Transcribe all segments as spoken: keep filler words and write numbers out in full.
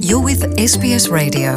You're with S B S Radio.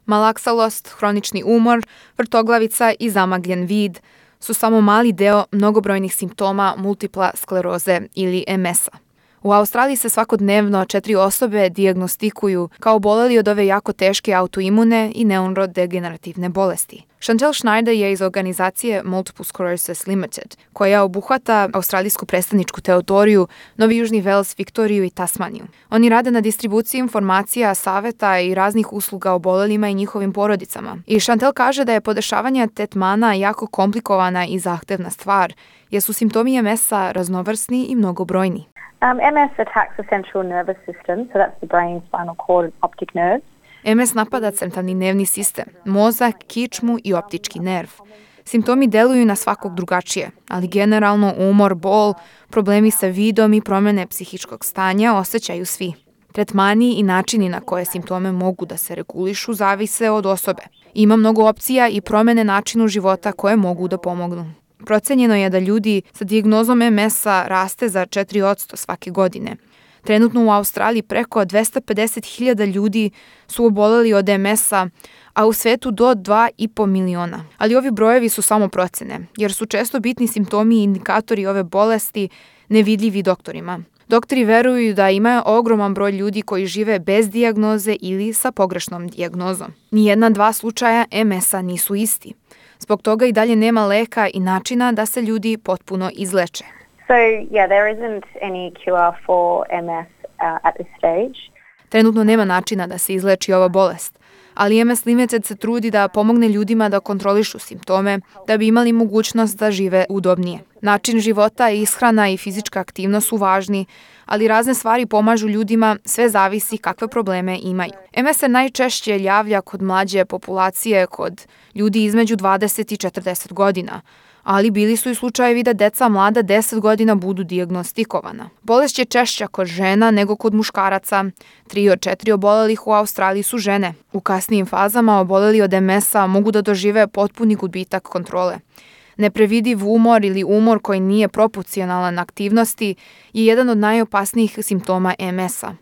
Malaksalost, hronični umor, vrtoglavica i zamagljen vid su samo mali deo mnogobrojnih simptoma multipla skleroze ili em es a. U Australiji se svakodnevno četiri osobe dijagnostikuju kao oboleli od ove jako teške autoimune i neurodegenerativne bolesti. Chantel Schneider je iz organizacije Multiple Sclerosis Limited, koja obuhvata australijsku predstavničku teritoriju, Novi Južni Vels, Viktoriju i Tasmaniju. Oni rade na distribuciji informacija, saveta i raznih usluga obolelima i njihovim porodicama. I Chantel kaže da je podešavanje tretmana jako komplikovana i zahtevna stvar, jer su simptomi em es a raznovrsni i mnogobrojni. Um, em es attacks the central nervous system, so that's the brain, spinal cord, and optic nerves. em es napada centralni nervni sistem, mozak, kičmu i optički nerv. Simptomi deluju na svakog drugačije, ali generalno umor, bol, problemi sa vidom i promjene psihičkog stanja osjećaju svi. Tretmani i načini na koje simptome mogu da se regulišu zavise od osobe. Ima mnogo opcija i promjene načinu života koje mogu da pomognu. Procenjeno je da ljudi sa dijagnozom em es a raste za četiri posto svake godine. Trenutno u Australiji preko dvesta pedeset hiljada ljudi su oboleli od em es a, a u svetu do dva i po miliona. Ali ovi brojevi su samo procene, jer su često bitni simptomi i indikatori ove bolesti nevidljivi doktorima. Doktori veruju da ima ogroman broj ljudi koji žive bez dijagnoze ili sa pogrešnom dijagnozom. Nijedna dva slučaja em es a nisu isti. Zbog toga i dalje nema leka i načina da se ljudi potpuno izleče. So, yeah, there isn't any cure for em es uh, at this stage. Trenutno nema načina da se izleči ova bolest, ali em es Limited se trudi da pomogne ljudima da kontrolišu simptome, da bi imali mogućnost da žive udobnije. Način života, ishrana i fizička aktivnost su važni, ali razne stvari pomažu ljudima, sve zavisi kakve probleme imaju. em es se najčešće javlja kod mlađe populacije, kod ljudi između dvadeset i četrdeset godina, ali bili su i slučajevi da deca mlada deset godina budu dijagnostikovana. Bolest je češća kod žena nego kod muškaraca. Tri od četiri obolelih u Australiji su žene. U kasnijim fazama oboleli od em es a mogu da dožive potpuni gubitak kontrole. Neprevidiv umor ili umor koji nije proporcionalan aktivnosti je jedan od najopasnijih simptoma em es a.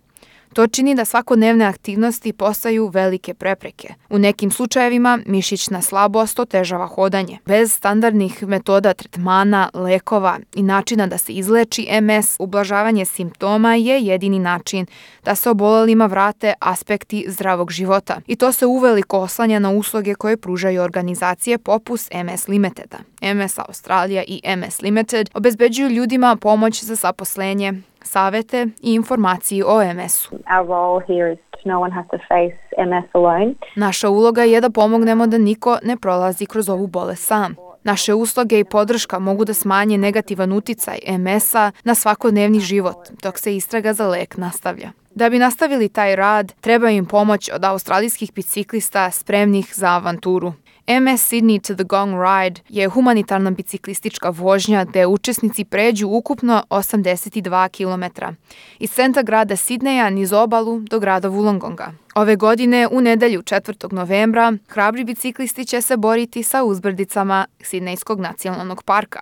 To čini da svakodnevne aktivnosti postaju velike prepreke. U nekim slučajevima mišićna slabost otežava hodanje. Bez standardnih metoda tretmana, lekova i načina da se izleči em es, ublažavanje simptoma je jedini način da se obolelima vrate aspekti zdravog života. I to se uveliko oslanja na usluge koje pružaju organizacije poput em es Limiteda. em es Australija i em es Limited obezbeđuju ljudima pomoć za zaposlenje, savete i informacije o em es u. Our role here is no one has to face em es alone. Naša uloga je da pomognemo da niko ne prolazi kroz ovu bolest sam. Naše usluge i podrška mogu da smanje negativan uticaj em es a na svakodnevni život, dok se istraga za lek nastavlja. Da bi nastavili taj rad, treba im pomoć od australijskih biciklista spremnih za avanturu. em es Sydney to the Gong Ride je humanitarna biciklistička vožnja gde učesnici pređu ukupno osamdeset dva kilometra iz centra grada Sidneja niz obalu do grada Wollongonga. Ove godine, u nedelju četvrtog novembra, hrabri biciklisti će se boriti sa uzbrdicama Sidnejskog nacionalnog parka,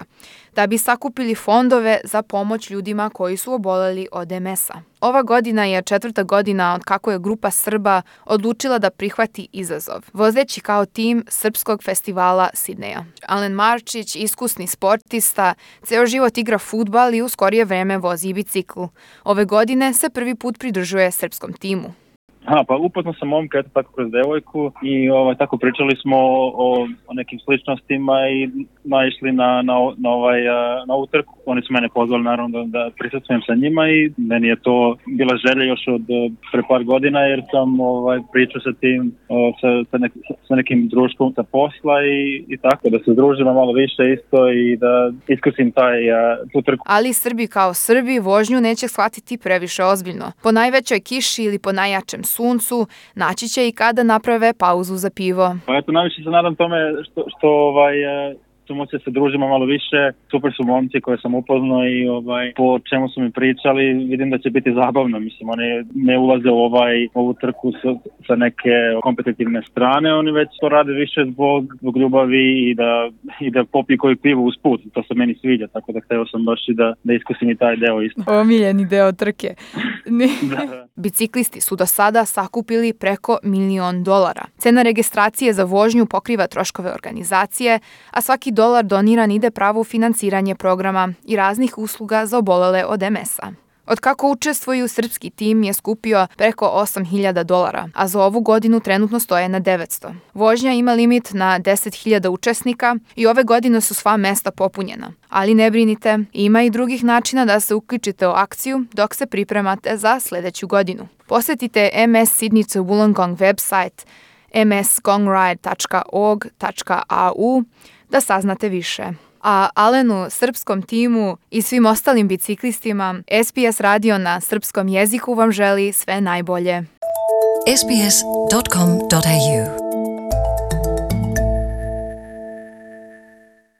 da bi sakupili fondove za pomoć ljudima koji su oboleli od em es a. Ova godina je četvrta godina od kako je grupa Srba odlučila da prihvati izazov, vozeći kao tim Srpskog festivala Sidneja. Alen Marčić, iskusni sportista, ceo život igra fudbal i u skorije vreme vozi bicikl. Ove godine se prvi put pridružuje srpskom timu. Aha, pa upoznao sam momka, eto tako kroz devojku i ovaj, tako pričali smo o, o nekim sličnostima i naišli na, na, na, ovaj, na ovu trku. Oni su mene pozvali naravno da, da prisustvujem sa njima i meni je to bila želja još od pre par godina jer sam ovaj, pričao sa tim, sa, sa, nek, sa nekim društvom sa posla i, i tako, da se združimo malo više isto i da iskusim taj, tu trku. Ali Srbi kao Srbi vožnju neće shvatiti previše ozbiljno. Po najvećoj kiši ili po najjačem suncu, naći će i kada naprave pauzu za pivo. Pa eto, najviše se nadam tome što, što ovaj, su moći da se družimo malo više. Super su momci koje sam upoznao i ovaj, po čemu su mi pričali, vidim da će biti zabavno. Mislim, oni ne ulaze u ovaj, ovu trku sa, sa neke kompetitivne strane, oni već to rade više zbog, zbog ljubavi i da, i da popiju koju pivu uz put. To se meni sviđa, tako da hteo sam baš i da, da iskusim i taj deo isto. Omiljeni deo trke. Da. Biciklisti su do sada sakupili preko milion dolara. Cena registracije za vožnju pokriva troškove organizacije, a svaki dolar doniran ide pravo u finansiranje programa i raznih usluga za obolele od em es-a. Od kako učestvuju, srpski tim je skupio preko osam hiljada dolara, a za ovu godinu trenutno stoje na devetsto. Vožnja ima limit na deset hiljada učesnika i ove godine su sva mesta popunjena. Ali ne brinite, ima i drugih načina da se uključite u akciju dok se pripremate za sledeću godinu. Posetite em es Sidnice Wollongong website em es gongride tačka org tačka a u da saznate više. A Alenu, srpskom timu i svim ostalim biciklistima, es be es radio na srpskom jeziku vam želi sve najbolje. s b s dot com dot a u